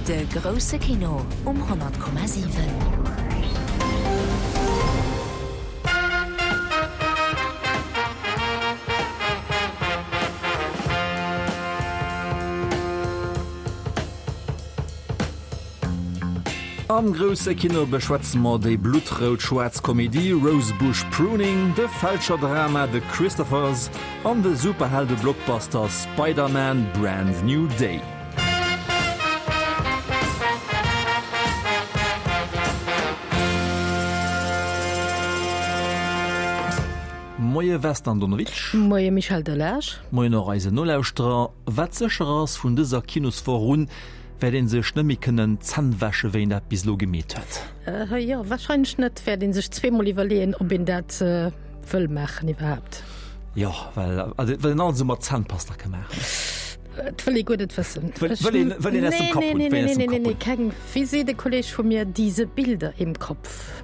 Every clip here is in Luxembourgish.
De grousse Kino um 100,7. Am grousse Kino beschwätze mer déi bluttrout-schwaarz Komedie Rosebush Pruning, de Fälscherdrama The Christophers an de Superhelde-Blockbuster Spider-Man, Brand New Day. Moie Vesna Andonovic. Moie Michel Delage. Moien och eisen Nolauschterer. Wat sécher ass, vun dëser Kinoswoch un wäert een sech net méi kënnen d'Zänn wäsche wéi een dat bis elo gemeet huet. Jo, wahrscheinlech net. Wäert een sech zweemol iwwerleeën, ob een dat wëll maachen iwwerhaapt. Jo, well also well een alles esou mat Zännpasta ka maachen. Et wëll ee guer net wëssen. Wëll wëll een wëll een aus dem Kapp hunn. Nee, nee, nee, nee, nee, nee, keng, wéi seet e Kolleg vu mir, diese Bilder im Kopf.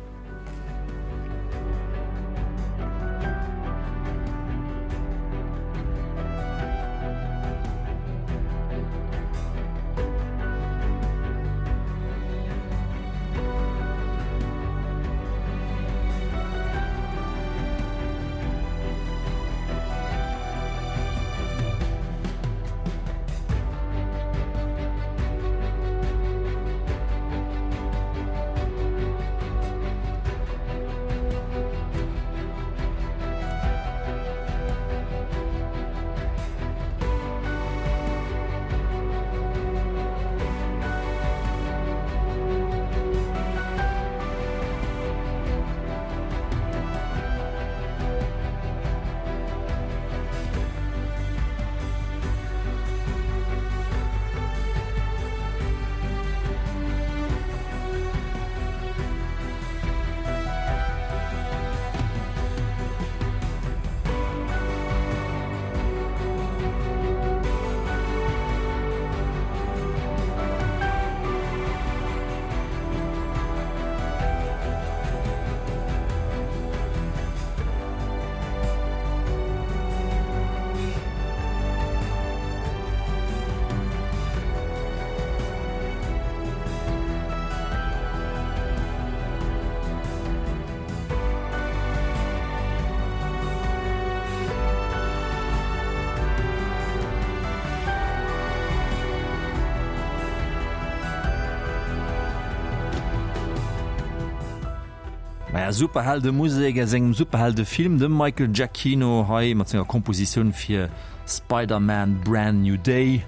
Maja, Superheldemusek aus engem Superheldefilm, dem Michael Giacchino hei mat senger Kompositioun fir Spider-Man Brand New Day.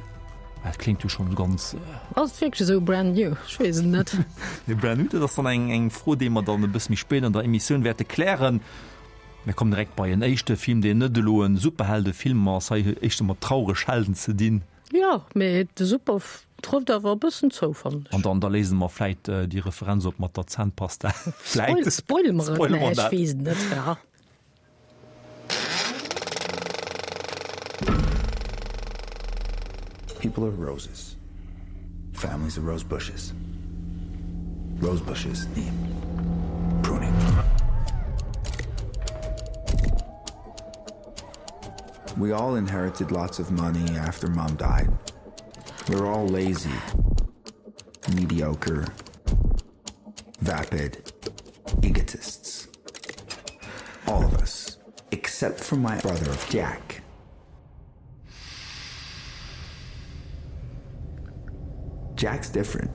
Dat kléngt jo schonn ganz. Ass et wierklech esou brand new? Ech weess et net. Nee, brand new, dat ass dann eng, eng Fro, déi mer dann e bësse méi spéit an der Emissioun wäerte klären. Mir kommen direkt bei en éischte Film, deen net elo e Superheldefilm ass. Hei huet éischter mat traureg Helden ze dinn. Jo, mee de Super trëfft awer e bëssen zou, fannen ech. An dann, da léise mer vläit déi Referenz op mat der Zännpasta. Vläit. Spoile mer et? Spoile mer dat. Ech weess et net, ja. People are roses. Families are rose bushes. Rose bushes need pruning. We all inherited lots of money after mom died. We're all lazy, mediocre, vapid egotists. All of us, except for my brother Jack. Jack's different.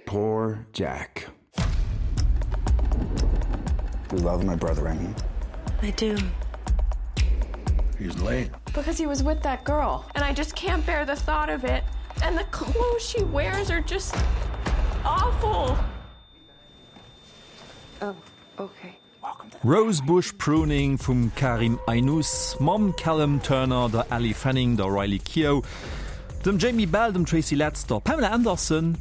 Poor Jack. You love my brother, Emmy. I do. He's late. Because he was with that girl, and I just can't bear the thought of it. And the clothes she wears are just awful. Oh, okay. Rosebush Pruning vum Karim Aïnouz mam Callum Turner, der Elle Fanning, der Riley Keough, dem Jamie Bell, dem Tracy Letts, der Pamela Anderson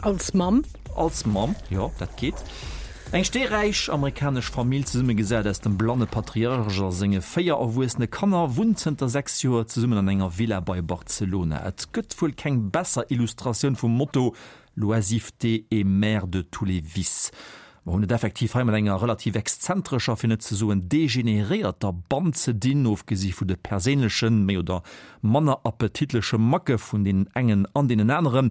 Als Mamm. Als Mamm, jo, dat geet. Eng steeräich amerikanesch Famill, zesummegesat aus dem blanne Patriarch a senge 4 erwuessene Kanner, wunnt zënter 6 Joer zesummen an enger Villa bei Barcelona. Et gëtt wuel keng besser Illustratioun vum Motto L'oisiveté est mère de tous les vices. Mer hunn et effektiv hei mat enger relativ exzentrescher, fir net ze soen degeneréierter Band ze dinn, ofgesi vu de perséinlechen, méi oder manner appetitleche Macke vun deenen engen an deenen aneren,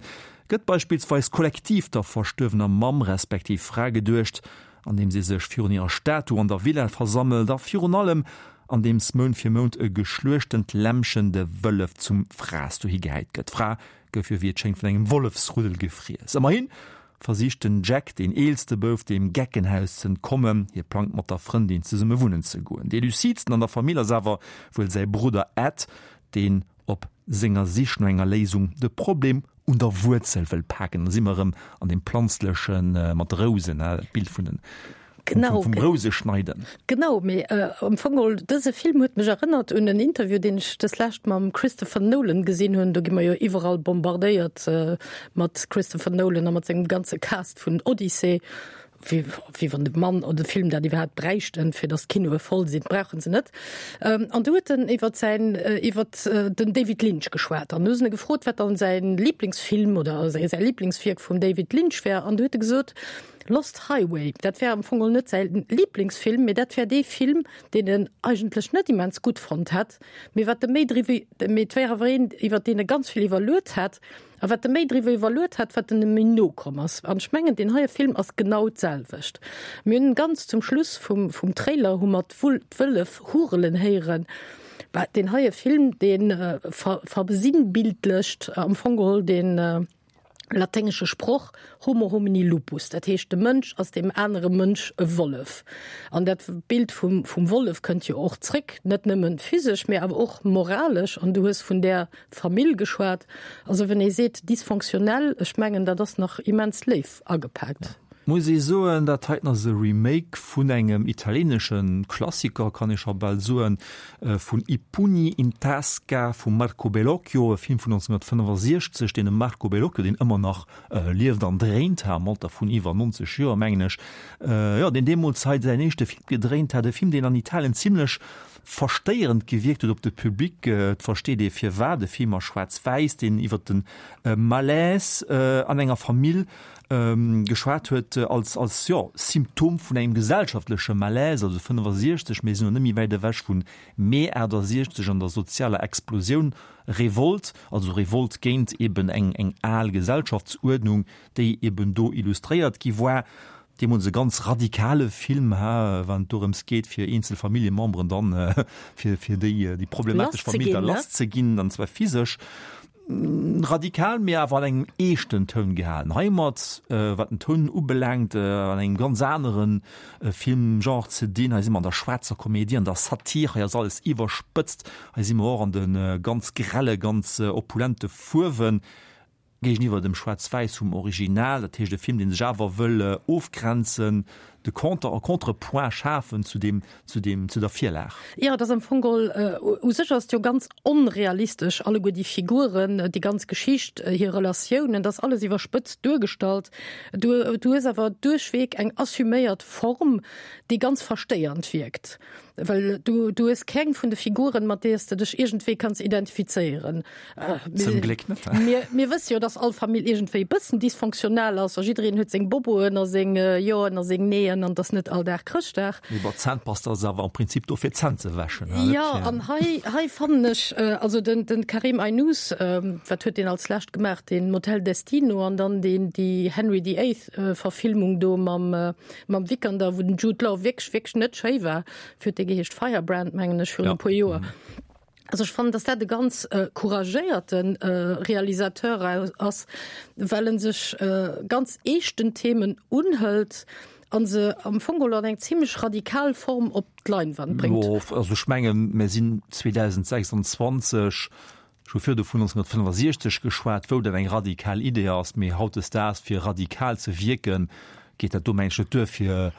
gëtt beispillsweis kollektiv der verstuerwener Mamm respektiv Fra geduecht, andeems ee sech virun hirer Statu an der Villa versammelt a virun allem andeems Mount fir Mount e geschluechtent Lämmchen de Wëllef zum Fraass dohi gehäit gëtt. D'Fra gouf jo wéi et schéngt vun engem Wollefsruddel gefriess. Ëmmerhin versicht den Jack, deen eelste Bouf, dem Geckenhaus z'entkommen. Hie plangt mat der Frëndin zesumme wunnen ze goen. Dee lucidsten an der Famill ass awer wuel säi Brudder Ed, deen op senger Sich no enger Léisung de Problem un der Wuerzel wëll paken. Da si mer erëm an deem planzleche mat de Rousen, dat Bild vun den Genau. Vum Rouseschneiden. Genau, mee am Fong geholl, dëse Film huet mech erënnert un en Interview, deen ech dës lescht mam Christopher Nolan gesinn hunn. Do gi mer jo iwwerall bombardéiert mat Christopher Nolan a mat sengem ganze Cast vun Odyssey. Wéi, wéi wann de Mann oder de Film dat iwwerhaapt bräichten, fir datt d'Kinoe voll sinn. Brauche se net. An do huet en iwwer säin, iwwer den David Lynch geschwat. An du hu se e gefrot, wat dann säin Liblingsfilm oder säi Liblingswierk vum David Lynch wär. An du huet e gesot, Lost Highway, dat wär am Fong geholl net säi Liblingsfilm, mee dat wär dee Film, deen en eigentlech net immens gutt fonnt hätt, mee wat e méi driwwer, mee et wär awer een, iwwer deen e ganz vill iwwerluet hätt, a wat e méi driwwer iwwerluet hätt, wat en em méi no komm ass. An ech mengen, deen heie Film ass genau d'selwecht. Mir hunn ganz zum Schluss vum, vum Trailer hu mer d'Wull, d'Wëllef hurelen héieren. Bah, deen heie Film, dee ver, versinnbildlecht am Fong geholl deen, laténgesche Sproch Homo homini lupus, dat heescht de Mënsch ass deem anere Mënsch e Wollef. An dat Bild vum, vum Wollef kënnt jo och zréck, net nëmmen physesch, mee awer och moralesch. An du hues vun där Famill geschwat. Also wenn ee seet dysfonctionnel, ech mengen dat ass nach immens léif agepaakt. Muss ee soen, dat heiten ass e Remake vun engem italienesche Klassiker, kann ee scho bal soen, vun I pugni in tasca vum Marco Bellocchio, e Film vun 1965, deen de Marco Bellocchio, deen ëmmer nach lieft an dréint, am Alter vun iwwer 90 Joer, mengen ech, jo, deen deemools hei säin éischte Film gedréint hat, e Film, deen an Italien zimlech verstéierend gewierkt huet op de Public. Et versteet ee firwat, e Film a Schwaarz-Wäiss, deen iwwer de Malaise an enger Famill geschwat huet als, als, jo, Symptom vun engem gesellschaftleche Malaise, also 65, mir sinn elo net méi wäit ewech vun Mee 68 an der sozialer Explosioun, Revolt, also Revolt géint eben eng, eng al Gesellschaftsuerdnung, déi eben do illustréiert gi war. Deemools e ganz radikale Film, ha, wann et dorëms geet, fir eenzel Familljememberen dann, fir, fir déi, déi problematesch Famill da lass ze ginn, an zwar physesch. Radikal, mee awer an engem eeschten Toun gehalen. Heimat, wat den Toun ubelaangt, an engem ganz anere Filmgenre ze dinn. Hei si mer an der schwaarzer Komedie, an der Satir, hei ass alles iwwerspëtzt, hei si mer och an de ganz grelle, ganz opulente Fuerwen, géigeniwwer dem Schwaarz-Wäiss vum Original. Dat heescht e Film, dee sech awer wëll ofgrenzen, de Contre, e Contrepoint schafen zu deem, zu deem, zu der Virlag. Jo, et ass am Fong geholl, u sech ass et jo ganz onrealistesch, alleguer déi Figuren, déi ganz Geschicht, hir Relatiounen, dat ass alles iwwerspëtzt duergestallt. Du, du hues awer duerchweg eng assuméiert Form, déi ganz verstéiernd wierkt, well du, du hues keng vun de Figuren, mat deeër s de dech iergendwéi kanns identifizéieren. Zum Gléck net. Mir, mir wësse jo, dass all Famill iergendwéi e bëssen dysfonctionnel ass a jiddereen huet seng Boboen a seng Joen a seng Neeën an dass net all Dag Chrëschtdag. Mee bon, Zännpasta ass awer am Prinzip do fir d'Zänn ze wäschen, net fir. Jo, an hei, hei fannen ech, also den, den Karim Aïnouz, wat huet deen als lescht gemaach, den Motel Destino an dann deen, déi Henry the Eighth Verfilmung do mam, mam Vikander, wou den Jude Law wierklech, wierklech net schéi war, wéi huet dee geheescht, Firebrand, mengen ech, virun e puer Joer. Also ech fannen, dass dat e ganz couragéierte Realisateur ass, well en sech ganz eeschten Themen unhëlt a se am Fong geholl an eng zimlech radikal Form op d'Leinwand bréngt. Jo, also ech mengen, mir sinn 2026, ech hu virdu vun 1965 geschwat, wou dat eng radikal Idee ass, mee hautdesdaags fir radikal ze wierken, geet dat do mengen ech net duer fir,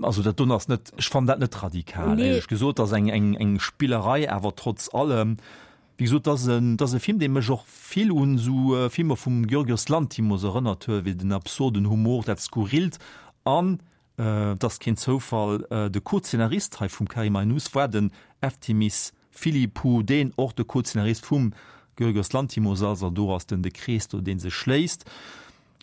also dat doen ass net, ech fannen dat net radikal Nee. éierlech gesot, ass eng eng eng Spillerei, awer trotz allem, wéi gesot, ass en ass e Film dee mech och vill un esou Filmer vum Giorgios Lanthimos erënnert huet, wéi den absurden Humor, dat Skurrilt an et ass keen Zoufall, de Co-Zeenarist hei vum Karim Aïnouz war den Efthymis Philippou, deen och de Co-Zeenarist vum Giorgios Lanthimos ass, an do ass den de Krees do dee sech schléisst.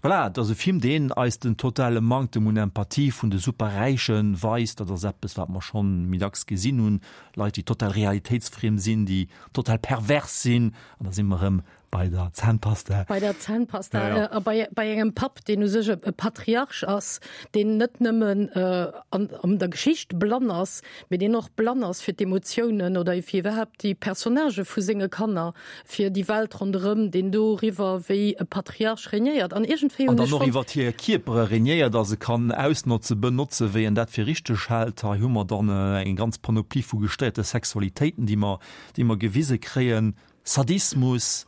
Voilà, et ass e Film, deen eis den totale Manktem un Empathie vun de Superräiche weist. Dat ass eppes, wat mer schonn méi dacks gesinn hunn, Leit, déi total realitéitsfriem sinn, déi total pervers sinn. An da si mer erëm bei der Zahnpasta. Bei der Zahnpasta ja, ja. A bei, bei engem Papp, deen u sech e Patriarch ass, deen net nëmmen äh, an, an der Geschicht blann ass, mee deen och blann ass fir d'Emotiounen oder fir iwwerhaapt déi Personnagë vu senge Kanner, fir déi Welt ronderëm, deen doriwwer wéi e Patriarch regnéiert. An iergendwéi hunn ech. An dann och iwwer hir Kierpere regnéiert a se kann ausnotzen, benotzen, wéi en dat fir richteg hält. Hei hu mer dann eng ganz Panoplie vu gestéierte Sexualitéiten, déi mer, déi mer gewise kréien. Sadismus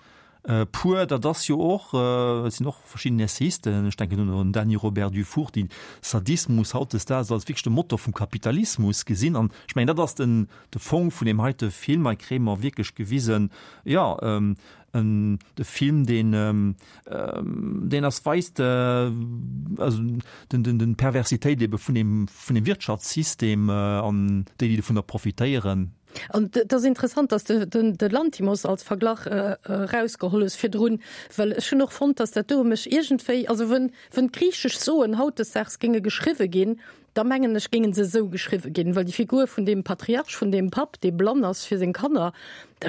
pur, dat ass jo och, et sinn och verschidden Essayisten, ech denken un den Dany Robert Dufour, déi Sadismus hautdesdaags als wierklech de Motor vum Kapitalismus gesinn. An ech mengen, dat ass den, de Fong vun deem heite Film. Hei kréie mer wierklech gewisen, jo, en, de Film, deen, deen ass weist, also den, den, den d'Perversitéit ebe vun deem, vun deem Wirtschaftssystem an déi, déi dovunner profitéieren. An et ass interessant, dass de de Lanthimos als Verglach erausgeholl hues virdrun, well ech hunn och fonnt, dass dat do mech iergendwéi, also wën wën d'griichesch Soen hautdesdaags géinge geschriwwe ginn, da mengen ech géinge se esou geschriwwe ginn, well déi Figur vun deem Patriarch, vun deem Papp, dee blann ass fir seng Kanner,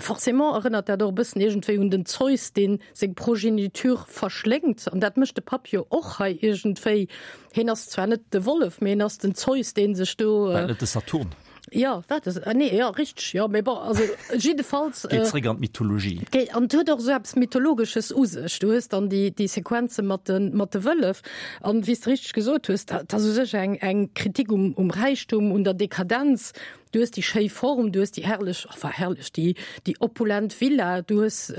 forcément erënnert dat och e bëssen iergendwéi un den Zeus, dee seng Progeniture verschléngt. An dat mécht de Papp jo och hei iergendwéi. Hien ass zwar net de Wollef, mee hien ass den Zeus, dee sech do. War net de Saturn? Jo, wat ass, ah nee, jo, richteg, jo, mee bon, also jiddefalls. Geet zréck an d'Mythologie. Geet, an et huet och esou eppes Mythologesches u sech. Du hues dann déi, déi Sequenze mat de, mat de Wëllef an, wéi s de richteg gesot hues, dat ass u sech eng, eng Kritik um, um Räichtum, un der Dekadenz. Du hues déi schéi Form, du hues déi herrlech, enfin herrlech, déi, déi opulent Villa, du hues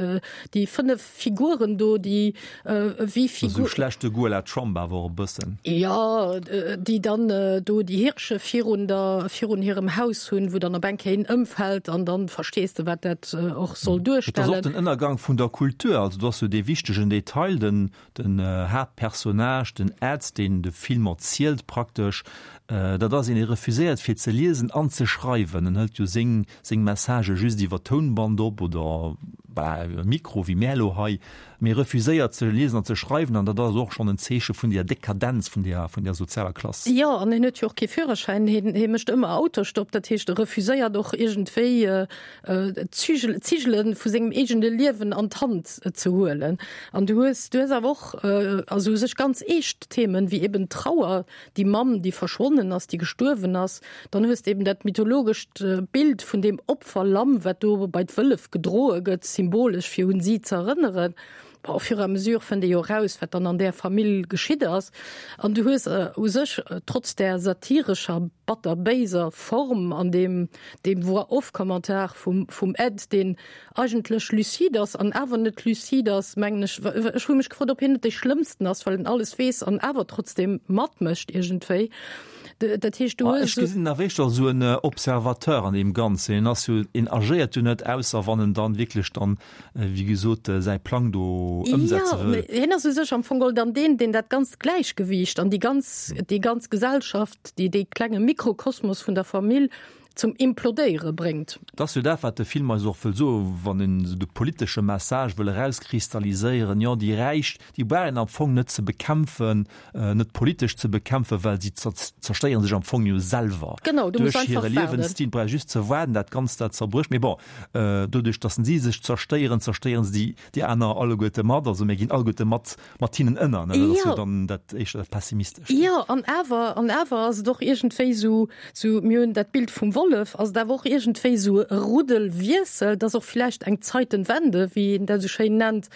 déi 5 Figuren do, déi wéi Figur. Esou schlechte Goût à la Trump awer och e bëssen. Jo, déi dann do déi Hirsche virun der, virun hirem Haus hunn, wou dann op eng Kéier een ëmfält an dann verstees de, wat dat och soll duerstellen. Et ass och den Ënnergang vun der Kultur. Also do ass jo dee wichtegen Detail, den, den Haaptpersonnage, den Ed, deen de Film erzielt praktesch, dat ass een, dee refuséiert fir ze liesen an ze schreiwen. En hëlt jo seng seng Messagë just iwwer Tounband op oder bah iwwer Mikro, wéi mär elo hei, mee refuséiert ze liesen an ze schreiwen an dat ass och schonn en Zeeche vun deer Dekadenz vun deer vun deer sozialer Klass. Jo, an hien huet jo och kee Führerschäin, hien hie mécht ëmmer Autostopp, dat heescht e refuséiert och iergendwéi d'Zügel d'Zigele vu sengem eegene Liewen an d'Hand ze huelen. An du hues du hues awer och also u sech ganz eescht Themen, wéi eben d'Trauer, déi Mamm, déi verschwonnen ass, déi gestuerwen ass, dann hues de eben dat mythologescht Bild vun deem Opferlamm, wat do bei d'Wëllef gedroe gëtt, symbolesch fir un si ze erënneren. Bon, au fur et à mesure fënnt ee jo eraus, wat dann an där Famill geschitt ass. An du hues u sech, trotz där satirescher, batter-béiser Form an deem, deem Voix-off-Kommentar vum, vum Ed, deen eigentlech lucide ass an awer net lucide ass, mengen ech. Ech hu mech gefrot, ob hien net dee Schlëmmsten ass, well en alles weess an awer trotzdem matmécht iergendwéi. Dat heescht, du hues. Ech gesinn en awer éischter als esou en Observateur an deem Ganzen. En ass jo, en agéiert jo net, ausser wann en dann wierklech dann, wéi gesot, säi Plang do ëmsetze wëll. Jo, hien ass u sech am Fong geholl dann deen, deen dat ganzt Gläichgewiicht an déi ganz, déi ganz Gesellschaft, déi, dee klenge Mikrokosmos vun der Famill zum Implodéiere bréngt. Et ass jo dat, wat de Film eis och wëll soen, wann en esou de politesche Message wëll erauskristalliséieren, Jo, déi Räich, déi brauch een am Fong net ze bekämpfen, net politesch ze bekämpfen, well si zerstéiere sech am Fong jo selwer Genau, du muss duerch einfach hire waarden. Liewensstil. Brauch just ze waarden, dat Ganzt, dat zerbrécht. Mee bon, doduerch, datt si sech zerstéieren, zerstéiere se déi, déi aner alleguerte mat. Also mir ginn alleguerte mat mat hinnen ënner, ne? Dat ass jo dann dat éischter dat Pessimistescht. Jo, an awer, an awer ass et och iergendwéi esou, esou, mir hunn dat Bild vum Wollef, ass et awer och iergendwéi esou e Ruddelwiessel, dass och vläicht eng Zeitenwende, wéi een dat esou schéin nennt.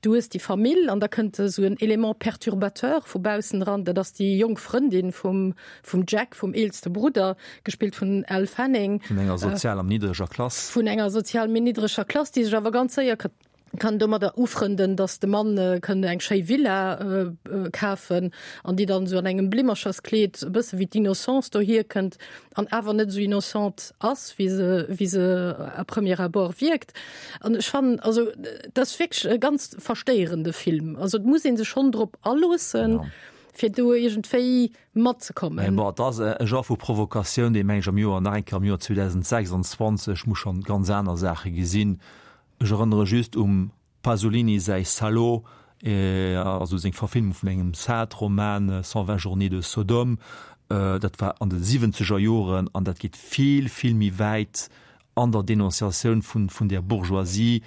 Du hues déi Famill an da kënnt esou en Élément perturbateur vu baussen eran, dat ass déi jonk Frëndin vum, vum Jack, vum eelste Brudder, gespillt vun Elle Fanning. Vun enger sozial a méi niddreger Klass. Vun enger sozial méi niddreger Klass, déi sech awer ganz séier kann domadder ufrënden, dass de Mann kënn eng schéi Villa kafen an déi dann esou an engem Blimmercherskleed e bësse wéi d'Innocence dohier kënnt an awer net esou innocente ass, wéi se, wéi se à premier abord wierkt. An ech fannen, also et ass wierklech e ganz verstéierende Film. Also et muss ee sech schonn drop aloossen, fir do iergendwéi matzekommen. Mä bon, et ass e Genre vu Provokatioun, dee meng ech am Joer, nach eng Kéier am Joer 2026 muss schonn ganz aner Saache gesinn. Ech erënnere just um Pasolini säi Salò. Also seng Verfilmung vun engem Sade-Roman 120 Journées de Sodome, dat war an de siwwenzeger Joren an dat geet vill, vill méi wäit an der Denonciatioun vun, vun där Bourgeoisie.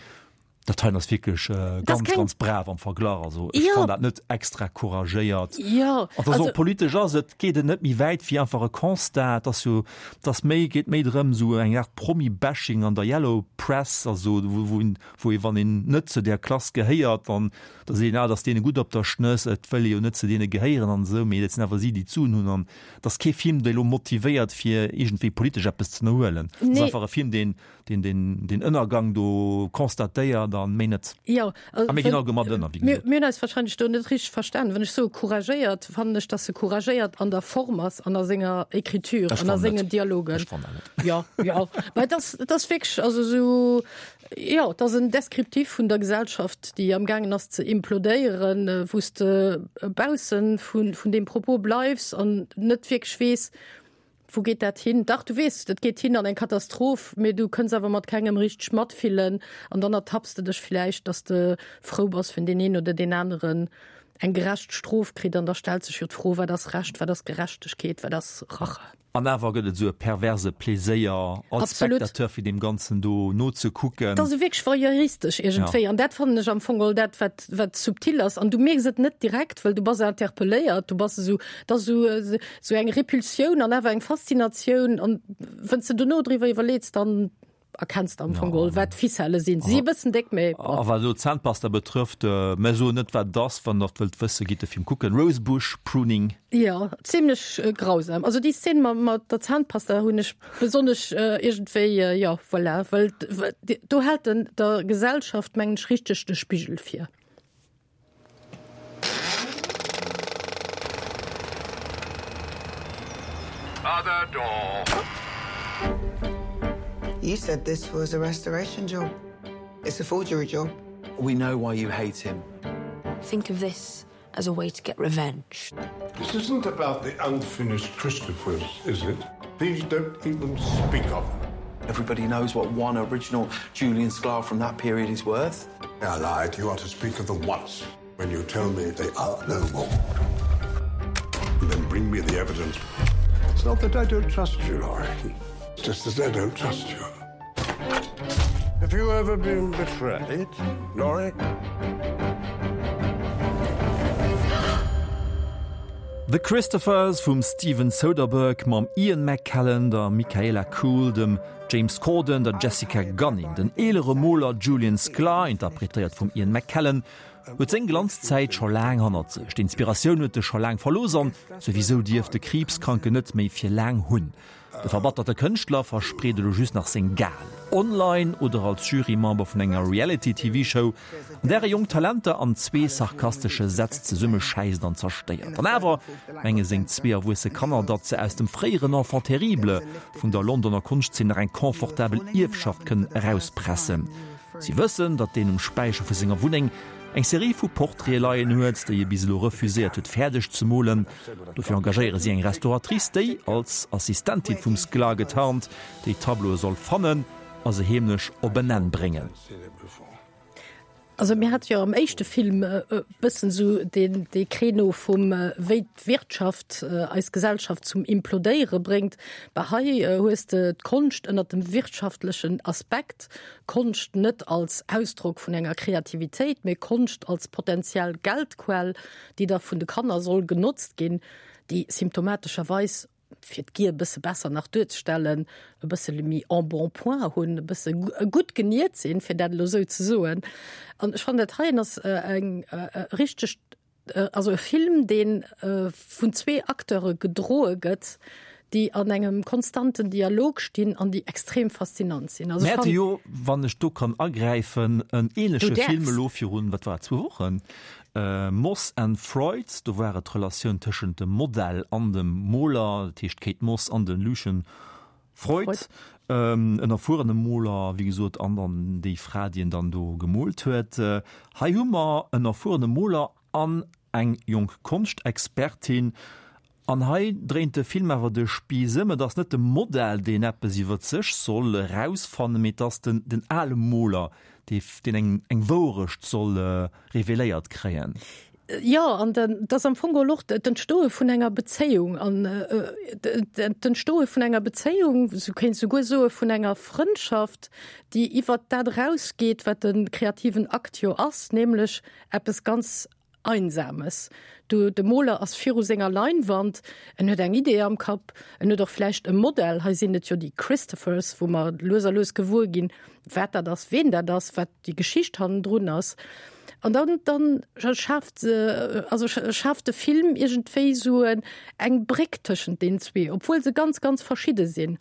Dat heien ass wierklech ganz, ganz brav am Verglach. Also ech fannen dat net extra couragéiert. Jo, also. Also politesch ass et, geet et net méi wäit wéi einfach e Constat. Et ass jo, et ass méi, geet méi drëm esou eng Art Promi-Bashing an der Yellow Press, also wou, wou een, wou ee wann een net zu där Klass gehéiert, dann da seet een, ah, et ass deene gutt op der Schnëss, et wëll ee jo net zu deene gehéieren an esou, mee et sinn awer si, déi d'Suen hunn. An et ass kee Film, dee lo motivéiert, fir iergendwéi politesch eppes ze ënnerhuelen. Et ass einfach e Film, deen deen den den Ënnergang do constatéiert an méi net. Jo, A mir ginn all mat ënner, wéi mir, gesot. mir hunn eis wahrscheinlech do net richteg verstanen. Wann ech soe couragéiert, fannen ech, dass e couragéiert an der Form ass an a senger Écriture Ech an a fannen sengen net. Dialogen. Ech fannen dat net. Jo, jo, mä et ass, et ass wierklech, also esou, jo, et ass en Descriptif vun der Gesellschaft, déi amgaangen ass ze implodéieren, wou s de baussen vun, vun deem Propos bleifs an net wierklech weess, Wou geet dat hin? Dach, du weess, et geet hin an eng Katastroph, mee du kënns awer mat kengem richteg matfillen an dann ertapps de dech villäicht, dass de frou bass, wenn deen een oder deen aneren eng gerecht Strof kritt. An da stellt sech jo d'Fro, Wat ass Recht, wat ass Gerechtegkeet, wat ass Rache? An awer gëtt et esou e perverse Pleséier als Absolut. Spectateur, fir deem Ganzen do nozekucken. Et ass esou wierklech voyeuristesch iergendwéi. An dat fannen ech am Fong geholl dat, wat, wat subtil ass. An du mierks et net direkt, well du bass interpelléiert, du bass esou, et ass esou, Sou eng Repulsioun an awer eng Faszinatioun an wënns de dono driwwer iwwerleets, dann erkenns de am Fong geholl, wat d'Ficelle sinn. Si e bëssen déck, mee bon. A wat elo d'Zahnpasta betrëfft, mer soen net wat et ass, wann der et wëllt wëssen, gitt de Film kucken, Rosebush Pruning. Jo, zimlech grausam. Also déi Szene mat der Zahnpasta hunn ech besonnesch iergendwéi, jo voilà, well do hält en der Gesellschaft, mengen ech, richteg de Spigel vir. Other door. You said this was a restoration job. It's a forgery job. We know why you hate him. Think of this as a way to get revenge. This isn't about the unfinished Christophers, is it? Please don't even speak of them. Everybody knows what one original Julian Sklar from that period is worth. I lied. You are to speak of them once when you tell me they are no more. And then bring me the evidence. It's not that I don't trust you, Laurie. It's just that I don't trust you. Have you ever been betrayed, Laurie? The Christophers vum Steven Soderbergh mam Ian McKellen, der Michaela Coel, dem James Corden, der Jessica Gunning. Den eelere Moler Julian Sklar, interpretéiert vum Ian McKellen, huet seng Glanzzäit scho laang hannert sech. D'Inspiratioun huet e scho laang verlooss an souwisou dierf de Kriibskranken net méi fir laang hunn. De verbatterte Kënschtler verspreet elo just nach seng Gal, online oder als Jurymember vun enger Reality-TV-Show, an där e jonk Talenter an zwee sarkastesche Sätz zesummeschäisst an zerstéiert. An awer menge seng zwee erwuesse Kanner, datt se aus dem fréieren Enfant terrible vun der Londoner Konschtzeen nach eng confortabel Ierfschaft kënnen erauspressen. Si wëssen, datt deen um Späicher vu senger Wunneng eng Serie vu Portraite leien huet, déi e bis elo refuséiert huet fäerdeg ze molen. Dofir engagéiere si eng Restauratrice, déi, als Assistentin vum Sklar getarnt, déi Tableaue soll fannen a se heemlech op en Enn bréngen. Also mir hate jo am éischte Film e bëssen esou deen dee Créneau vum wéi d'Wirtschaft eis Gesellschaft zum Implodéiere bréngt. Bah hei hues de d'Konscht ënnert dem wirtschaftlechen Aspekt, Konscht net als Ausdrock vun enger Kreativitéit, mee Konscht als potenziell Geldquell, déi da vun de Kanner soll genotzt ginn, déi symptomatescherweis, fir d'Gier e bësse besser nach duerzestellen, e bësse méi Embonpoint hunn, e bësse gutt geniert sinn, fir dat elo esou ze soen. An ech fannen, dat heien ass eng richteg, also e Film, dee vun zwee Acteure gedroe gëtt, déi an engem konstanten Dialog stinn an déi extrem faszinant sinn. Also ech fannen. Jo, wann ech do kann agräifen, en ähnleche Film elo virun, wat war et, zwou Wochen, Moss and Freud, do war et d'Relatioun tëschent dem Modell an dem Moler, dat heescht d'Kate Moss an de Lucian Freud, en erfuerene Moler, wéi gesot, an dann déi Fra, déi en dann do gemoolt huet. Hei hu mer en erfuerene Moler an eng jonk Konschtexpertin. An hei dréint de Film awer de Spiiss ëm, et ass net de Modell, deen eppes iwwer sech soll erausfannen, mee et ass den, den ale Moler, deen eng eng Wourecht soll reveléiert kréien. Jo, an dat ass am Fong geholl och d'Entstoe vun enger Bezéiung an d'Entstoe vun enger Bezéiung, sou kéint souguer soe vun enger Frëndschaft, déi iwwert dat erausgeet, wat de kreativen Akt jo ass, nämlech eppes ganz Einsames. Du, de Moler ass viru senger Leinwand, en huet eng Idee am Kapp, en huet och vläicht e Modell, hei sinn et jo déi Christophers, wou mer lues a lues gewuer ginn, wat dat ass, ween dat ass, wat déi Geschicht hannendrun ass. An dann, dann schaaft se, also schaaft de Film iergendwéi esou eng Bréck tëschent deenen zwee, obwuel se ganz, ganz verschidde sinn.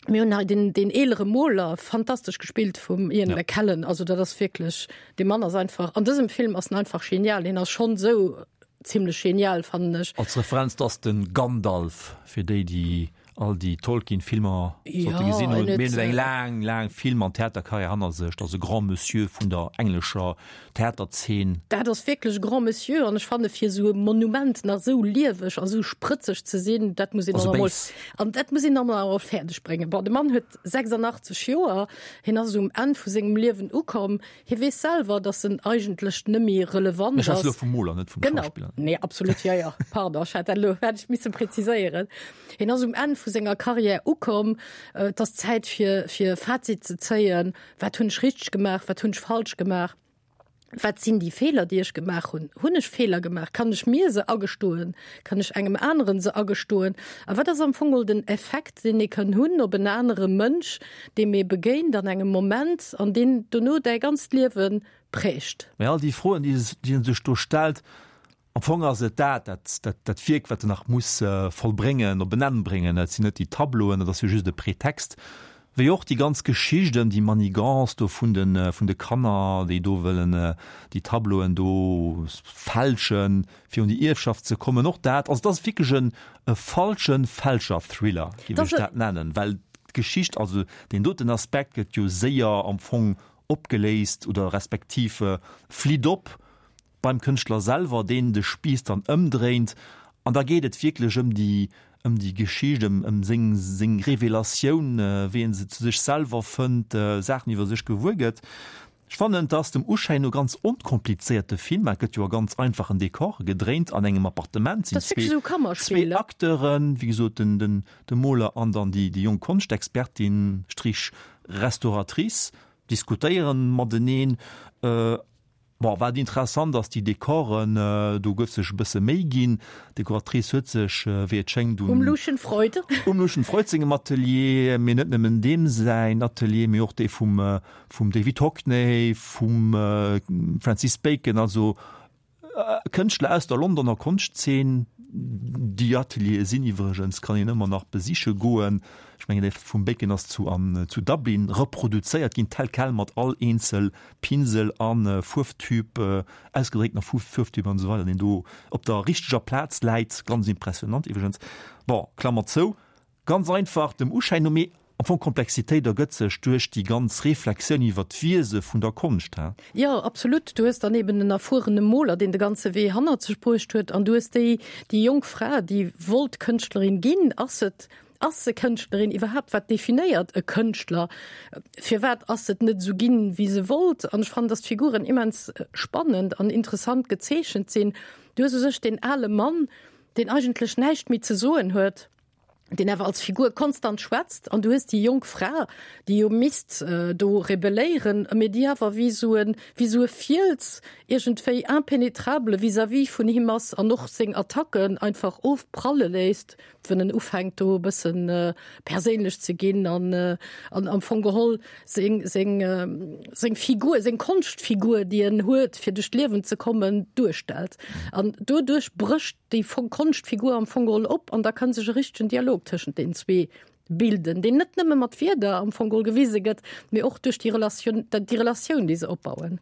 Mir hunn hei den, den eelere Moler, fantastesch gespillt vum Ian ja. McKellen. Also dat ass wierklech, de Mann ass einfach, an dësem Film ass en einfach genial. Hien ass schonn esou zimmlech genial, fannen ech. Als Referenz, dat ass de Gandalf, fir déi, déi all déi Tolkien-Filmer sollte gesinn hunn. Mee en huet eng laang, laang Film an Theaterkarriär hanner sech. Dat ass e Grand Monsieur vun der englescher Theaterzeen. Dat ass wierklech e Grand Monsieur an ech fanne fir esou e Monument nach esou lieweg a esou sprëtzeg ze sinn, dat muss een dann emol, an dat muss een dann awer fäerdeg bréngen. Bon, de Mann huet 86 Joer, hien ass um Enn vu sengem Liewen ukomm, hie weess selwer, datt en eigentlech net méi relevant ass. Ech schwätze elo vum Moler, net vum Schauspiller. Genau, nee, absolut, jo, jo, pardon, ech hat dat elo, hätt ech misse präziséieren. Hien ass um Enn vu senger Karriär ukomm, et ass Zäit fir, fir e Fazit ze zéien, Wat hunn ech richteg gemaach, wat hunn ech falsch gemaach, wat sinn déi Feeler, déi ech gemaach hunn, hunn ech Feeler gemaach, kann ech mir se agestoen, kann ech engem aneren se agestoen a wat ass am Fong geholl den Effekt, deen ee kann hunn op en anere Mënsch, deem ee begéint an engem Moment an deen dono däi ganzt Liewe prägt. Mä all déi Froen, déi e sech do stellt, Am Fong ass et dat, dat, dat Wierk, wat en nach muss vollbréngen, op en Enn bréngen. Dat sinn net déi Tableauen, dat ass jo just e Pretext. Wéi och déi ganz Geschicht ëm déi Manigance do vun de, vun de Kanner, déi do wëllen déi Tableauen do fälschen, fir un déi Ierfschaft ze kommen. Och dat, also et ass wierklech en e falsche Fälscher-Thriller, géif ech dat nennen, well d'Geschicht, also deen doten Aspekt gëtt jo séier am Fong opgeléist oder respektiv flitt op. beim Kënschtler selwer, deen de Spiiss dann ëmdréint, an da geet et wierklech ëm déi, ëm déi Geschicht, ëm, ëm seng, seng Revelatioun, wéi en se zu sech selwer fënnt, Saachen iwwer sech gewuer gëtt. Ech fannen, et ass dem Uschäin no ganz onkomplizéiert, de Film. Et gëtt jo a ganz einfachen Dekore gedréint, an engem Appartement sinn zwee, zwee Acteuren, wéi gesot, den, den, de Moler an dann déi, déi jonk Konschtexpertin, Strich Restauratrice, diskutéieren mateneen. Bon, wat interessant ass, déi Dekoren, do gouf sech e bësse Méi ginn. D'Dekoratrice huet sech, wéi et schéngt, un. Um Lucien Freud. Um Lucien Freud sengem Atelier, mee net nëmmen deem säin Atelier, mee och dee vum, vum David Hockney, vum Francis Bacon, also Kënschtler aus der Londoner Konschtzeen. Déi Ateliere sinn iwwregens, kann een ëmmer nach besiche goen. Ech mengen, dee vum Bacon ass zu, an, zu Dublin reproduzéiert ginn, tel quel, mat all eenzel Pinsel a Fuerftyp, ausgedrécktener Fuerftyp an esou weider, deen do op der richteger Plaz läit. Ganz impressionant iwwregens. Bon, Klammer zou. Ganz einfach dem Uschäin no, mee am Fong Komplexitéit ergëtt sech duerch déi ganz Reflexioun iwwer d'Wiese vun der Konscht, he? Jo, absolut. Du hues dann eben en erfuerene Moler, deen de ganze Wee hannert sech bruecht huet, an du hues déi, déi jonk Fra, déi wollt Kënschtlerin ginn. Ass et Ass se Kënschtlerin iwwerhaapt? Wat definéiert e Kënschtler? Firwat ass et net esou ginn, wéi se wollt? An ech fannen, dass d'Figuren immens spannend an interessant gezeechent sinn. Du hues u sech deen ale Mann, deen eigentlech näischt méi ze soen huet, deen awer als Figur konstant schwätzt. An du hues déi jonk Fra, déi jo misst do rebelléieren, mee déi awer wéi esou e, wéi esou e Fiels iergendwéi impenetrable vis-à-vis vun him ass an och seng Attacken einfach ofpralle léisst. Wann en ufänkt do e bëssen perséinlech ze ginn an an am Fong geholl seng seng seng Figur, seng Konschtfigur, déi en huet fir duerch d'Liewen ze kommen, duerstellt. An doduerch brécht déi Konschtfigur am Fong geholl op an da kann sech e richtegen Dialog tëschent deenen zwee bilden, deen net nëmme mat Wierder am Fong geholl gewise gëtt, mee och duerch déi Relatioun, déi Relatioun, déi se opbauen.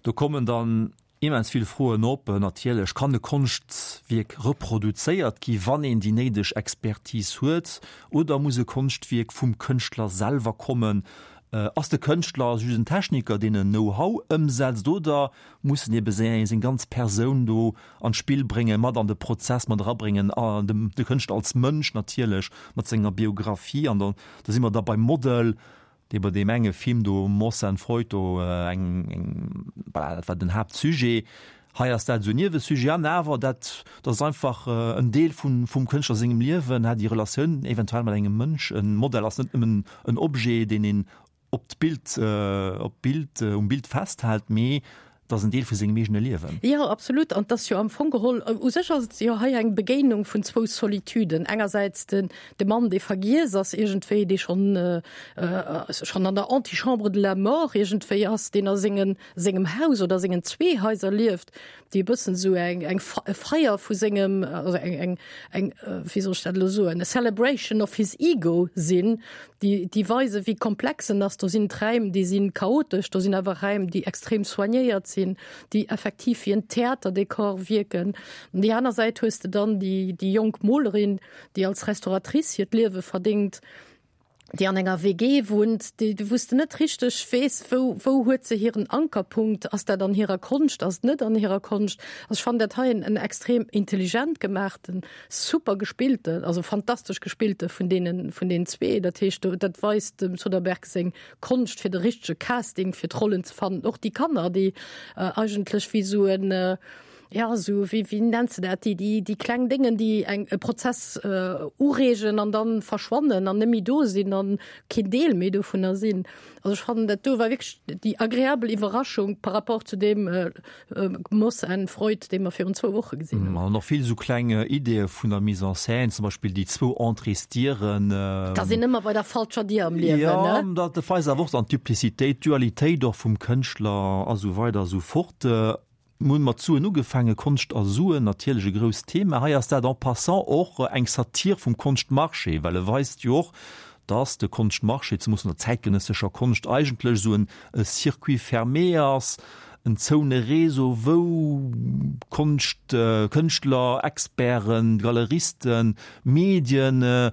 Do kommen dann Immens vill Froen op. Natierlech kann e Konschtwierk reproduzéiert gi wann een déi néideg Expertise huet, oder muss e Konschtwierk vum Kënschtler selwer kommen? Ass de Kënschtler just en Techniker, deen en Know-how ëmsetzt, oder muss en ebe seng ganz Persoun do an d'Spill bréngen, mat an de Prozess mat erabréngen, de Kënschtler als Mënsch natierlech mat senger Biographie? An da si mer da beim Model. Dee bei deem enge Film do, Moss and Freud do, eng, eng, voilà, dat war den Haaptsujet. Hei ass dat esou en Niewesujet an awer dat, dat ass einfach en Deel vun, vum Kënschtler sengem Liewen, hat déi Relatioun eventuell mat engem Mënsch. E Modell ass net nëmmen en Objet, deen een op d'Bild, op d'Bild, um Bild festhält, mee Et ass en Deel vu sengem eegene Liewen. Jo, absolut. An 't ass jo am Fong geholl, u sech ass et jo hei eng Begéinung vun zwou Solituden. Engersäits den, de Mann, dee vergiess ass iergendwéi, dee schonn, schonn an der Antichambre de la mort iergendwéi ass, deen a sengen, sengem Haus oder sengen zwee Haiser lieft, déi e bëssen esou eng, eng e Feier vu sengem, also eng, eng, eng, wéi soll ech dat elo soen, a celebration of his ego sinn, déi, déi weisen, wéi komplex en ass. Do sinn d'Räim, déi si chaotesch, do sinn awer Räim, déi extrem soignéiert sinn, déi effektiv wéi en Theaterdekor wierken. An déi aner Säit hues de dann déi, déi jonk Molerin, déi als Restauratrice hiert Liewe verdéngt, déi an enger WG wunnt, déi, wou s de net richteg weess, wou, wou huet se hiren Ankerpunkt, ass dat an hirer Konscht, ass et net an hirer Konscht. Also ech fannen dat hei en, en extrem intelligent gemaachten, super gespillten, also fantastesch gespillte vun deenen, vun deenen zwee. Dat heescht, do, dat weist dem Soderbergh seng Konscht fir de richtege Casting fir d'Rollen ze fannen. Och déi Kanner, déi eigentlech wéi esou en, Ja, esou, wéi, wéi nenns de dat, déi, déi, déi kleng Déngen, déi eng, e Prozess ureegen an dann verschwannen an net méi do sinn an keen Deel méi dovunner sinn. Also ech fannen, dat do war wierklech déi agreabel Iwwerraschung par rapport zu deem Moss and Freud, dee mer virun zwou Woche gesinn hunn. An och vill esou kleng Ideeë vun der Mise en scène, zum Beispill déi zwou Entréesdieren. Da sinn ëmmer bei der falscher Dier am Liewen, ne? Jo, dat weist awer och dann d'Duplicitéit, d'Dualitéit och vum Kënschtler a sou weider a sou fort. Mir hunn mat Suen ugefaangen, Konscht a Suen, natierlech e grousst Thema. Hei ass dat en passant och eng Satir vum Konschtmarché, well e weist jo och, dass de Konschtmarché, zemoos an der zäitgenëssescher Konscht, eigentlech esou en Circuit fermé ass, en zoune Réseau, wou Konscht, Kënschtler, Experten, Galeristen, Medien,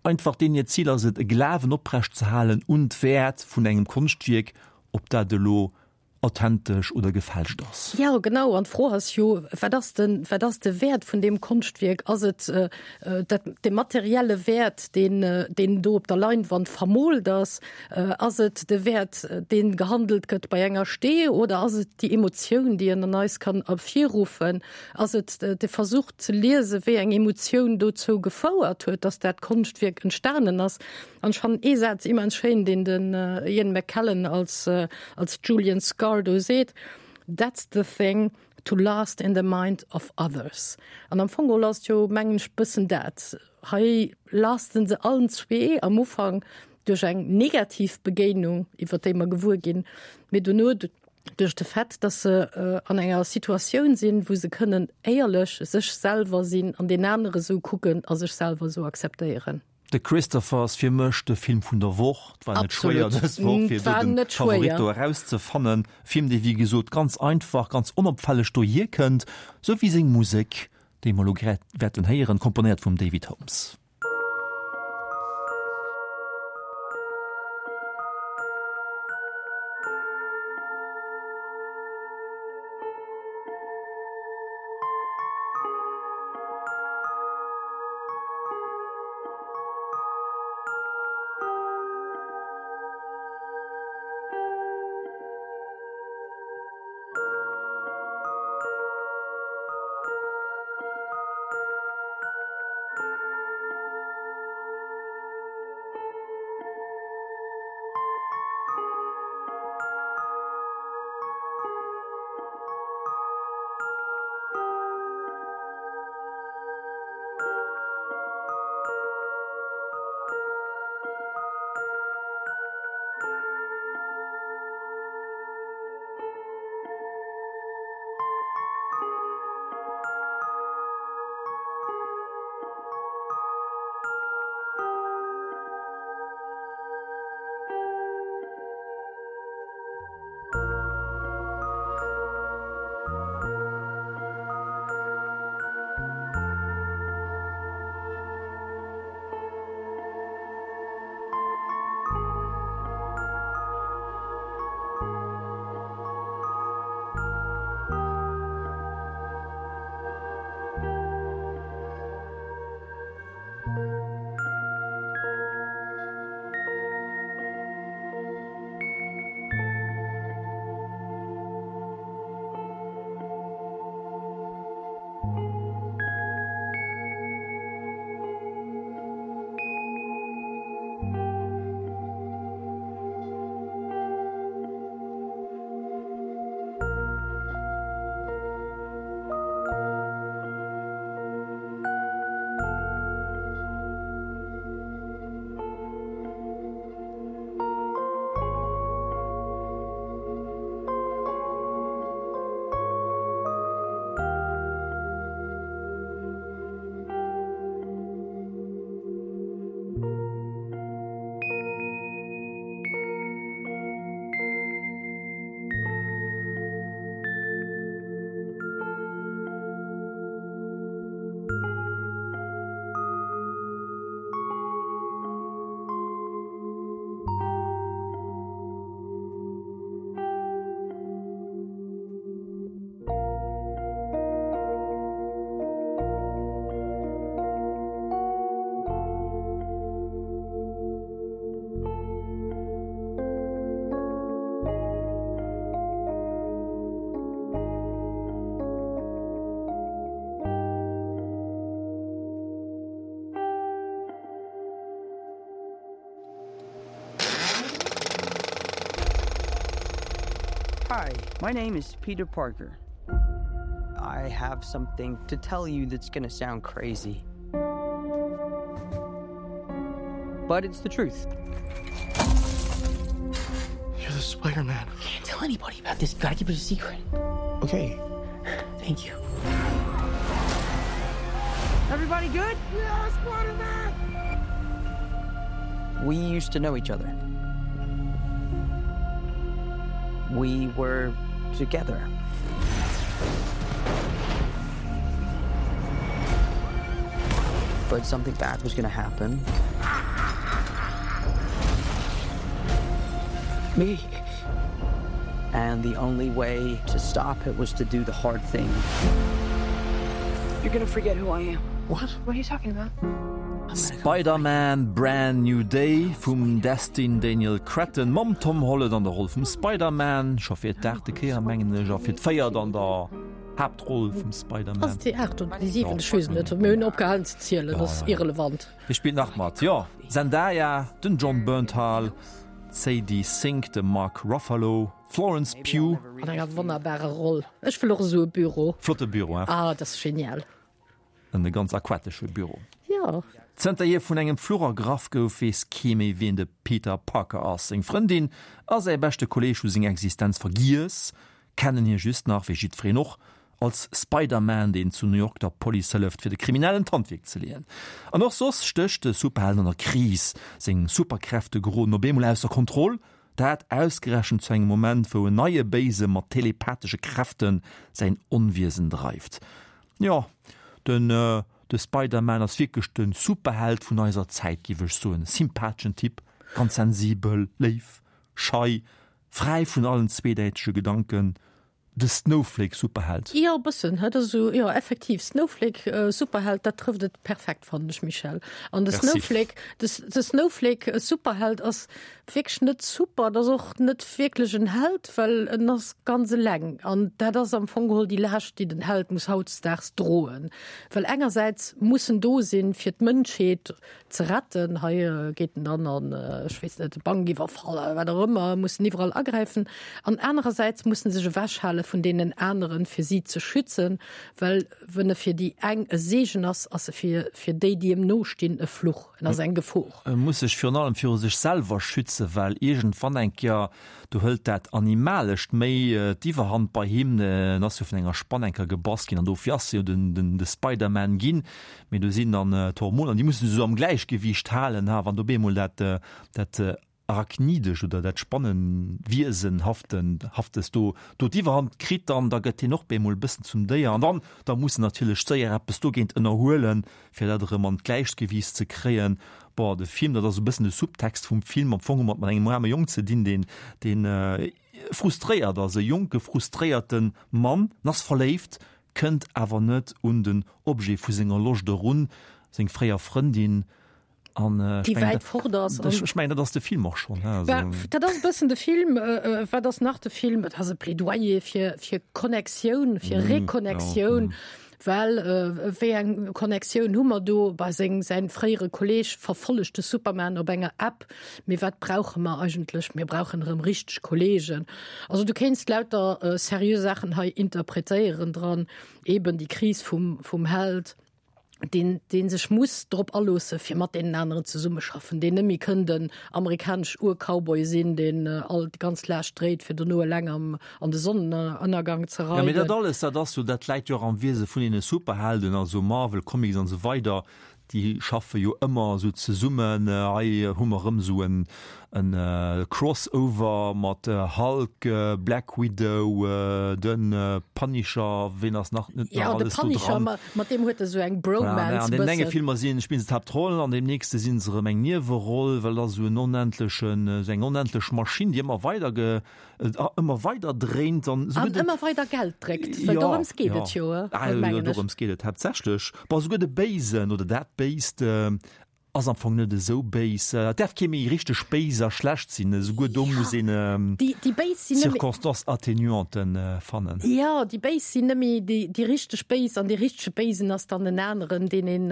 einfach deenen hiert Zil ass et, e Glawen oprecht ze halen un d'Wäert vun engem Konschtwierk, ob dat elo authentesch oder gefälscht ass. Jo, genau. An d'Fro ass jo, wat ass de, wat ass de Wäert vun deem Konschtwierk? Ass et dat, de materielle Wäert, deen, deen do op der Leinwand vermoolt ass? Ass et de Wäert, dee gehandelt gëtt bei enger Stee? Oder ass et déi Emotioun, déi en an eis kann ervirruffen? Ass et de Versuch ze liesen, wéi eng Emotioun dozou gefouert huet, dass dat Konschtwierk entstanen ass? An ech fannen ee Saz immens schéin, deen den Ian McKellen als, als Julian Scarr do seet, That's the thing to last in the mind of others. An am Fong geholl ass et jo, mengen ech, bëssen dat. Hei lasten se allen zwee am Ufank duerch eng negativ Begéinung, iwwer déi mer gewuer ginn, mee dono duerch de Fait, dass se an enger Situatioun sinn, wou se kënnen éierlech sech selwer sinn an deen anere sou kucken a sech selwer sou akzeptéieren. The Christopher ass fir mech de Film vun der Woch. Et war net schwéier dës Woch fir do den Favorit do erauszefannen. Film dee wéi gesot ganz einfach, ganz onopfälleg dohier kënnt, sou wéi seng Musek, déi mer elo grad wäerten héieren, komponéiert vum David Holmes. Hi, my name is Peter Parker. I have something to tell you that's gonna sound crazy. But it's the truth. You're the Spider-Man. Can't tell anybody about this. Gotta keep it a secret. Okay. Thank you. Everybody good? Yeah, Spider-Man! We used to know each other. We were together. But something bad was gonna happen. Me. And the only way to stop it was to do the hard thing. You're gonna forget who I am. What? What are you talking about? Spider-Man, Brand New Day vum Destin Daniel Cretton mam Tom Holland an der Roll vum Spider-Man, scho fir d'aachte Kéier mengen ech, a fir d'véiert an der Haaptroll vum Spider-Man. Ass et déi aacht oder déi siwent? Ech weess et net. Mir hunn opgehalen ze zielen, ass irrelevant. Wie spillt nach mat? Jo, Zendaya, den Jon Bernthal, d'Sadie Sink, de Mark Ruffalo, Florence Pugh. An enger wonnerbarer Roll. Ech wëll och esou e Büro. Flotte Büro, hein? Ah, dat ass genial. En e ganz aquatesche Büro. Jo. Zënter hie vun engem Fluch ergraff gouf, weess kee méi wien de Peter Parker ass. Seng Frëndin a säi beschte Kolleeg hu seng Existenz vergiess, kennen hie just nach, wéi jiddwereen och, als Spider-Man, deen zu New York der Police hëlleft, fir de Kriminellen d'Handwierk ze leeën. An och soss stécht de Superheld an der Kris, seng Superkräfte geroden op eemol ausser Kontroll, dat ausgerechent zu engem Moment, wou en neie Béise mat telepathesche Kräfte säin Onwiesen dreift. Jo, den de Spider-Man ass wierklech de Superheld vun eiser Zäit, géif ech soen. Sympatheschen Typ, ganz sensibel, léif, schei, fräi vun allen zweedäitege Gedanken, de Snowflake-Superheld. Jo, e bëssen, dat ass esou, jo, effektiv, Snowflake-Superheld, dat trëfft et perfekt, fannen ech, Michèle. An de Snowflake, de Snowflake-Superheld ass wierklech net super, dat ass och net wierklech en Held, well en ass ganz eleng an dat ass am Fong geholl déi Laascht, déi den Held muss hautdesdaags droen, well engersäits muss en do sinn, fir d'Mënschheet ze retten, hei geet en dann an, ech weess net, Bankiwwerfall oder wat och ëmmer, muss en iwwerall agräifen an anerersäits muss en sech ewechhale vun deenen aneren, fir si ze schützen, well wenn e fir déi eng e Seegen ass, ass e fir fir déi, déi em nostinn, e Fluch, en ass eng Gefor. E muss sech virun allem viru sech selwer schützen, well iergendwann eng Kéier, do hëlt dat Animalescht méi d'Iwwerhand bei him. En ass jo vun enger Spann eng Kéier gebass ginn an dofir ass e jo den, den, de Spider-Man ginn. Mee do sinn dann d'Hormoner, déi musse sech esou am Gläichgewiicht halen, ha wann do op eemol dat, dat Arachnidesch oder dat Spannenwiesenhaftes do do d'Iwwerhand kritt, dann da gëtt hien och bemol e bëssen zum Déier. An dann da muss en natierlech séier eppes dogéint ënnerhuelen, fir dat erëm an d'Gläichgewiicht ze kréien. Bon, de Film, dat ass e bëssen de Subtext vum Film, am Fong hu mer et mat engem aarme Jong ze dinn, deen deen frustréiert ass, e jonke frustréierte Mann, en ass verléift, kënnt awer net un den Objet vu senger Loscht erun, seng fréier Frëndin. An äh, déi wäit fort ass. Ech mengen, dat ass de Film och schonn. Dat ass e bëssen de Film. Äh, äh, wat ass nach de Film? Et ass e Plädoyer fir, fir Connectioun, fir mm, Reconnectioun. Ja, mm. Well äh, wéi eng Connectioun hu mer do bei seng säin fréiere Kolleg verfollegt de Superman op enger App. Mee wat brauche mer eigentlech? Mir brauchen erëm richteg Kollegen. Also du kéinst lauter äh, seriö Saachen hei interpretéieren dran, eben déi Kris vum, vum Held deen, deen sech muss drop aloosse fir mat deenen aneren zesummeschaffen, deen net méi kënn den amerikanesch Ur-Cowboy sinn, deen all déi ganz Laascht dréit, fir dono eleng am, an de Sonnenënnergang ze Ja, mee dat alles, dat ass jo, dat läit jo och am Wiese vun deene Superhelden, also Marvel Comics an esou weider, Déi schaffe jo ëmmer esou zesummen. Hei hu mer erëm esou en Crossover mat Hulk, Black Widow, de Punisher, ween ass nach net nach alles do dran? Jo, de Punisher, mat deem huet e sou eng Bromance. An deenen enge Filmer sinn, spillen se d'Haaptroll, an deem nächste si se erëm eng Nieweroll, well dat ass esou en onendlechen, esou eng onendlech Maschinn, déi ëmmer weider ge, ëmmer weider dréint an esouguer de. An ëmmer weider Geld dréckt, well dorëms geet et jo, mengen ech. Dorëms geet et haaptsächlech. Bon, esouguer de Béisen oder dat Béist. Ass am Fong net esou béis. Et däerf kee méi richteg béis a schlecht sinn. Esouguer do muss een Circonstances atténuanten fannen. Jo, déi Béis sinn net méi déi richteg Béis an dee richtege Béisen ass dann en aneren, deen een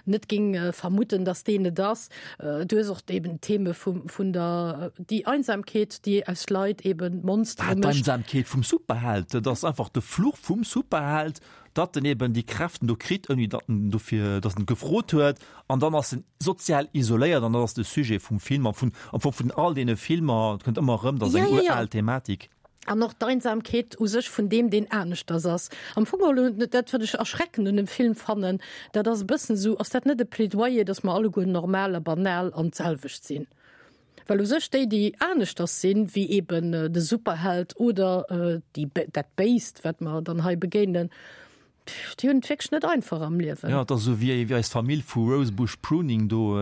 net géing vermutten, datt deen et ass. Du hues och eben d'Theme vun der, déi Einsamkeet, déi aus Leit eben Monstere mécht. D'Einsamkeet vum Superheld, dat ass einfach de Fluch vum Superheld, datt en eben déi Kräften do kritt, ouni datt en dofir, datt en gefrot huet, an dann ass en sozial isoléiert an dat ass de Sujet vum Film a vun, am Fong vun all deene Filmer, et kënnt ëmmer erëm, dat ass eng ural Thematik. An och d'Einsamkeet u sech vun deem, deen aneschters ass. Am Fong geholl, dat wat ech erschreckend un dem Film fannen, dat ass e bëssen esou, ass dat net e Plädoyer, datt mer alleguer normal a banal an d'selwecht sinn? Well u sech déi, déi aneschters sinn, wéi eben de Superheld oder déi, dat Béist, wat mer dann hei begéinen, déi hunn et wierklech net einfach am Liewen. Jo, et ass esou wéi eis Famill vu Rosebush Pruning do,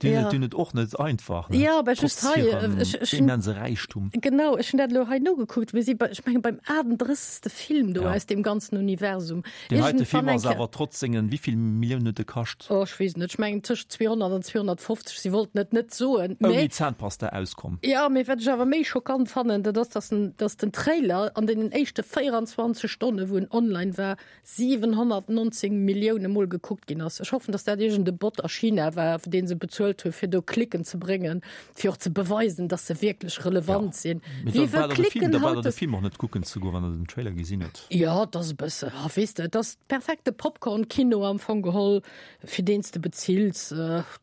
déi hunn et, déi hunn et och net einfach, ne? Jo, mä just Trotz hei, hirem ech, ech hunn, immense Räichtum. genau, ech hunn dat elo hei nogekuckt, mir si bei, ech mengen, beim 38. Film do Ja. aus deem ganzen Universum. Deen heite Iergendwann Film eng ass Kéier. awer trotz sengen, wéi vill Milliounen huet e kascht? Oh, ech weess net, ech mengen tëscht 200 an 250, si wollten et net soen, Ouni mä. Zahnpasta auskomm. Jo, mee wat ech awer méi schockant fannen, dat ass, dass den, dass den Trailer an deenen éischte 24 Stonne wou en online war, 719 Millioune mol gekuckt ginn ass. Ech hoffen, dass dat iergend e Bot a China war, dee se bezuelt hu fir do Klicken ze bréngen, fir och ze beweisen, dass se wierklech relevant sinn. Mee Wie da wëll brauch der de Film, Klicken da brauch der de haut? Film och net kucken ze goen, wann der den Trailer gesinn hutt. Jo, et ass e bësse, ah, weess de, et ass perfekte Popcorn-Kino am Fong geholl, fir deen s de bezills.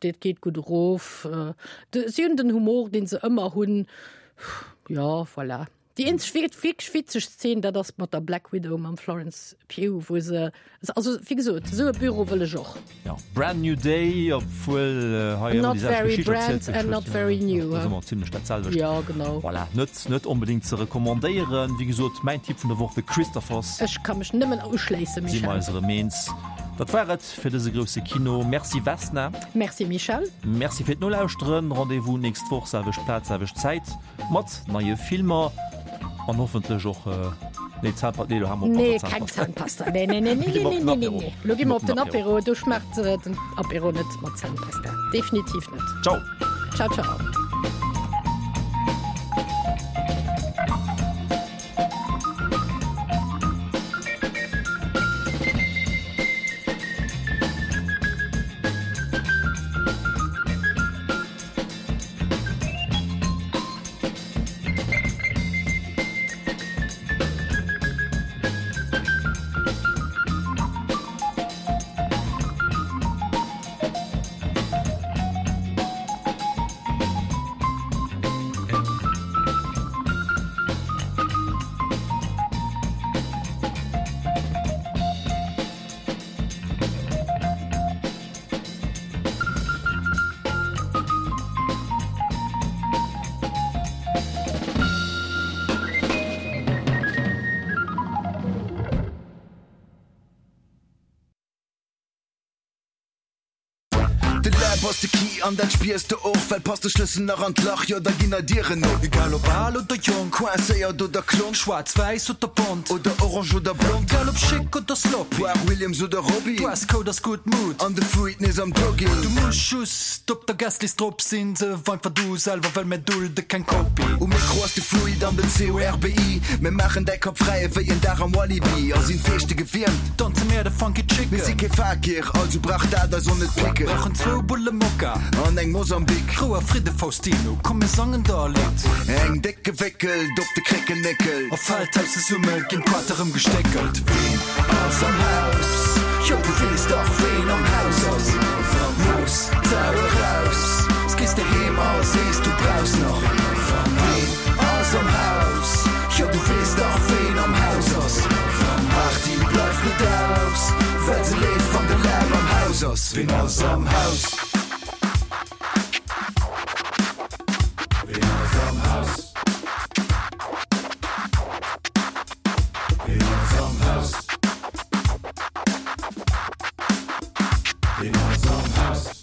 Dat geet gutt erof. Si hunn den Humor, dee se ëmmer hunn. Jo, voilà. Déi eenzeg wierklech witzeg Szen, dat ass mat der Black Widow, mam Florence Pugh, wou se, also wéi gesot, esou e Büro wëll ech och. Ja, Brand New Day, obwuel hei ëmmer Not déi selwecht very Geschicht brand erzielt gëtt, and not very new. Dat ass ëmmer zimlech dat selwecht. Jo, genau. Voilà, net, net onbedéngt ze recommandéieren. Wéi gesot, mäin Tipp vun der Woch, The Christophers. Ech ka mech nëmmen uschléissen, Si mer Michèle. eis erëm eens. Dat war et fir dëse grousse Kino. Merci Vesna. Merci Michèle. Merci fir d'Nolauschteren. Rendez-vous nächst Woch, selwecht Plaz, selwecht Zäit. Mat neie Filmer an hoffentlech och, nee Zahnpasta, nee lo ha mer op Nee, mat der keng Zahnpasta. Zahnpasta. Nee, nee, nee, nee, Gi mer nee, op den nee, nee, Apéro. nee. Lo gi mer op den Apéro. Apéro, do schmaacht den Apéro net mat Zahnpasta. Definitiv net. Ciao. Ciao, ciao. De Läb ass de Key an dat spiers de och, well passt de Schlëssel nach an d'Lach, jo da ginn nei Dieren op. Egal ob al oder jonk, coincéiert oder klonk, schwaarz, wäiss oder bont, oder orange oder blond, egal ob schick oder sloppy, Poire, Williams oder Robbie, Dresscode ass gutt Mood an de Fruit nees am Jogging. Du muss just op der Guestlist drop sinn, sou einfach du selwer, well mär dulde keng Kopie. Um Mikro ass de Fluid an den CORBI, mir maachen däi Kapp fräi ewéi en Dag am Walibi a sinn d'Feeschte gewiermt. Danze mär de Funky Chicken. Mir si kee Fakir, also brauch dat eis och net picken. Brauchen zwou Bulle Mokka an eng Mosambik. Rou a Fridde Faustino, komm mir sangen der e Lidd. Eng déck gewéckelt op de Kréckelnéckel. A Feldhaus zesumme ginn d'Quater rëm gestéckelt. Ween ass am Haus? Jo du weess dach ween am Haus ass. Looss d'Sau eraus, s gees de heem a sees du brauchs nach. Ween ass am Haus? Jo du weess dach ween am Haus ass. Party bleift net aus, well se leeft wann de Lärm am Haus ass. Ween ass am Haus? Ween ass am Haus? Ween ass am Haus? Ween ass am Haus?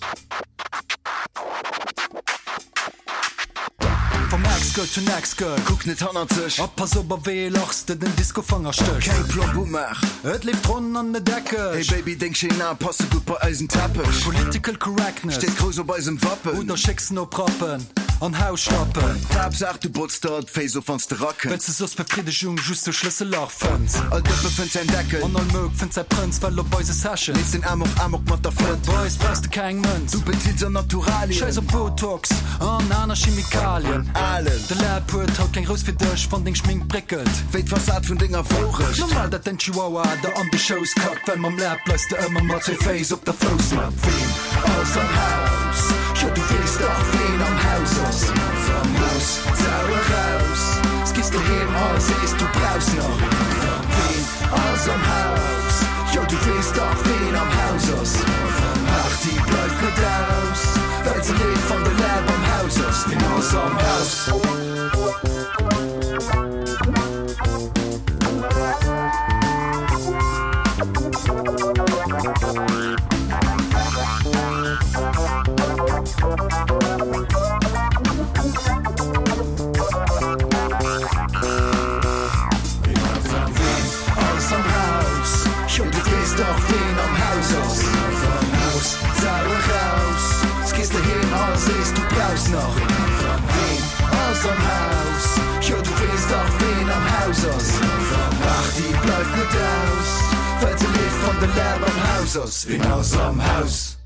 Vom Ex gëtt. to next girl. Kuck net hannert dech. A pass op a wéi ee Lach s de den Discofanger stéchs. Keng Plomb umaach. Et leeft ronn an net eckeg. Hey Baby, deng schéin Ae passe gutt bei eisen Teppech. Political correctness. Steet grouss op eisem Wappen. Oder schécks en op Rappen an Hausschlappen. D'Haaptsaach du botz der d'Féiss of wanns de rakënns. Well s de soss Befriddegung just duerch Schlëssellach fënns. All Dëppe fënnt säin Deckel. An all Mouk fënnt säi Prënz. Well op eise Session. Leeft den Amok Amok mat der Flënt. Bei eis brauchs de keng Mënz. Du bezills an Naturalien. Schäiss op Botox an aner Chemikalien. Alen. De Läb huet haut keng Rous fir dech, wann deng Schmink bréckelt. Wéi d'Fassad vun denger Wourecht. Normal dat däin Chihuahua der an de Schouss kackt, well mam Läb bleifs de ëmmer mat zwéi Féiss op der Foussmatt. Ween ass am Haus? Jo du weess dach ween am Haus ass. Am Haus, Sau eraus, s gees doheem a sees du brauchs nach. Ween ass am Haus? Jo du weess dach ween am Haus ass. Party bleift net aus, well se leeft wann de Läb am Haus ass. Ween ass am Haus? Ween ass am Haus? Jo du weess dach ween am Haus ass. Haus, Sau eraus, s gees doheem a sees du brauchs nach. Ween ass am Haus? Jo du weess dach ween am Haus ass. Party bleift net aus, well se leeft wann de Läb am Haus ass. Ween ass am Haus?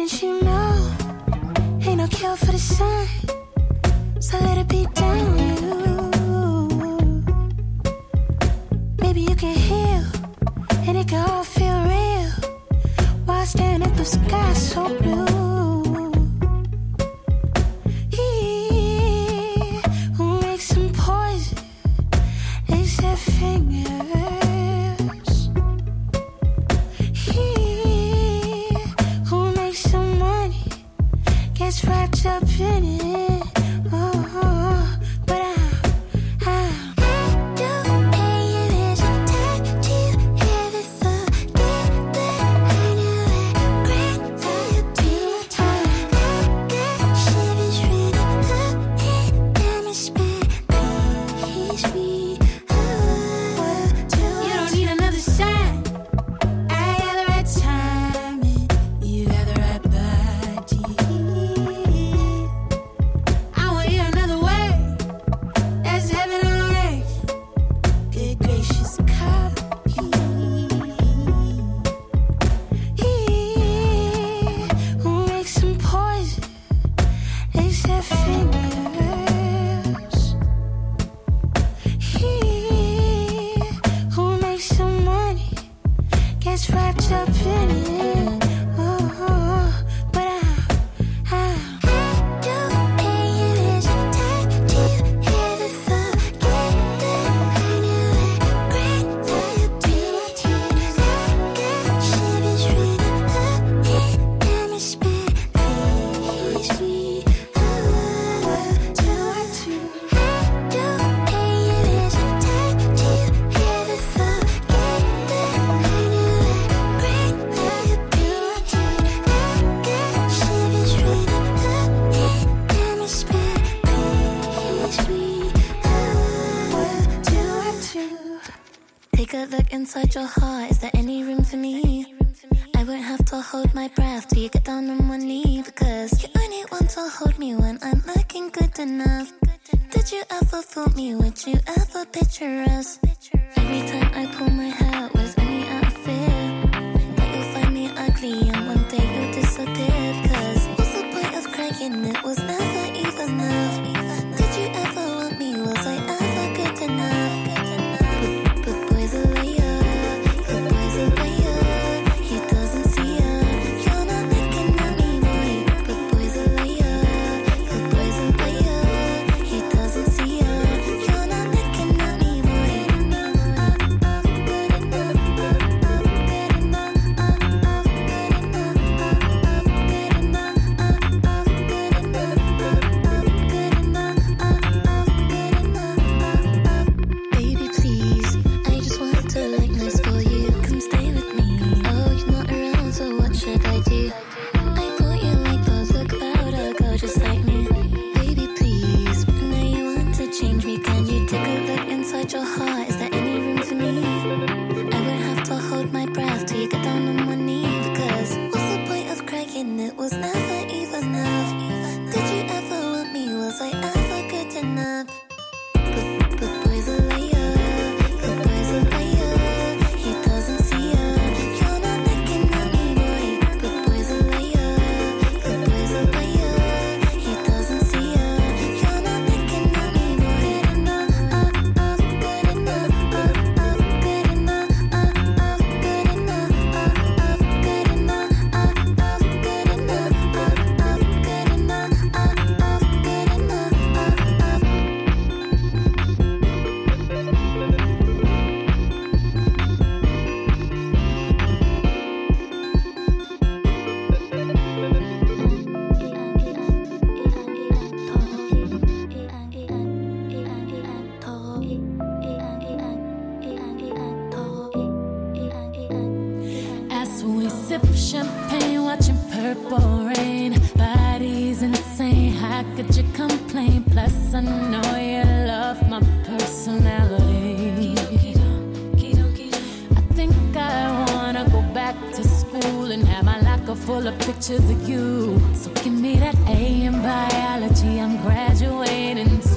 Didn't you know? Ain't no cure for the sun So let it be down you Maybe you can heal And it can all feel real While staring at the sky so blue He who makes some poison Is their fingers He who makes some money Gets wrapped up in it oh, oh, But I, I You don't need another sign. I got the right timing. You got the right body. I won't hear another word. That's heaven on earth. Good gracious, copy. He who makes some poison is their fingers. He who makes some money gets wrapped up in it. Oh, but I, I, I don't care if it's do you ever forget that I knew I cried for your beauty? I got shivers running up and down my spine. Please me, oh, do I do? I don't care if it's do you ever forget that I knew I cried for your beauty? I got shivers running up and down my spine. Please me, oh, do I do? Take a look inside your heart. Is there any room for me? I won't have to hold my breath till you get down on one knee because you only want to hold me when I'm looking good enough. Did you ever fool me? Would you ever picture us? Every time I pull my hair was only out of fear that you'll find me ugly and one day you'll disappear. Cause what's the point of crying? It was never even love. Did you ever want me? Was I ever good enough? But, but boy's a liar. But boy's a liar. He doesn't see ya. You're not looking at me, boy. But boy's a liar. But boy's a liar. He doesn't see ya. You're not looking at me, boy. Baby, please, I just want to look nice for you. Come stay with me. Oh, you're not around, so what should I do? I thought you liked those look about a girl just like me. Baby, please, I know you want to change me. Can you take a look inside your heart? Is there any room for me? I won't have to hold my breath till you get down on one knee. Because what's the point of crying? It was never even love. Did you ever want me? Was I ever good enough? But, but boy's a liar. But boy's a liar. He doesn't see ya. You're not looking at me, boy. But boy's a liar. But boy's a liar. He doesn't see ya. You're not looking at me, boy. Good enough, good enough, good enough, good enough, good enough, good enough, good enough, good enough, good enough. As we sip champagne, watching purple rain, bodies insane. How could you complain? Plus, I know you love my personality. I think I wanna go back to school and have my locker full of pictures of you. So give me that A in biology, I'm graduating soon.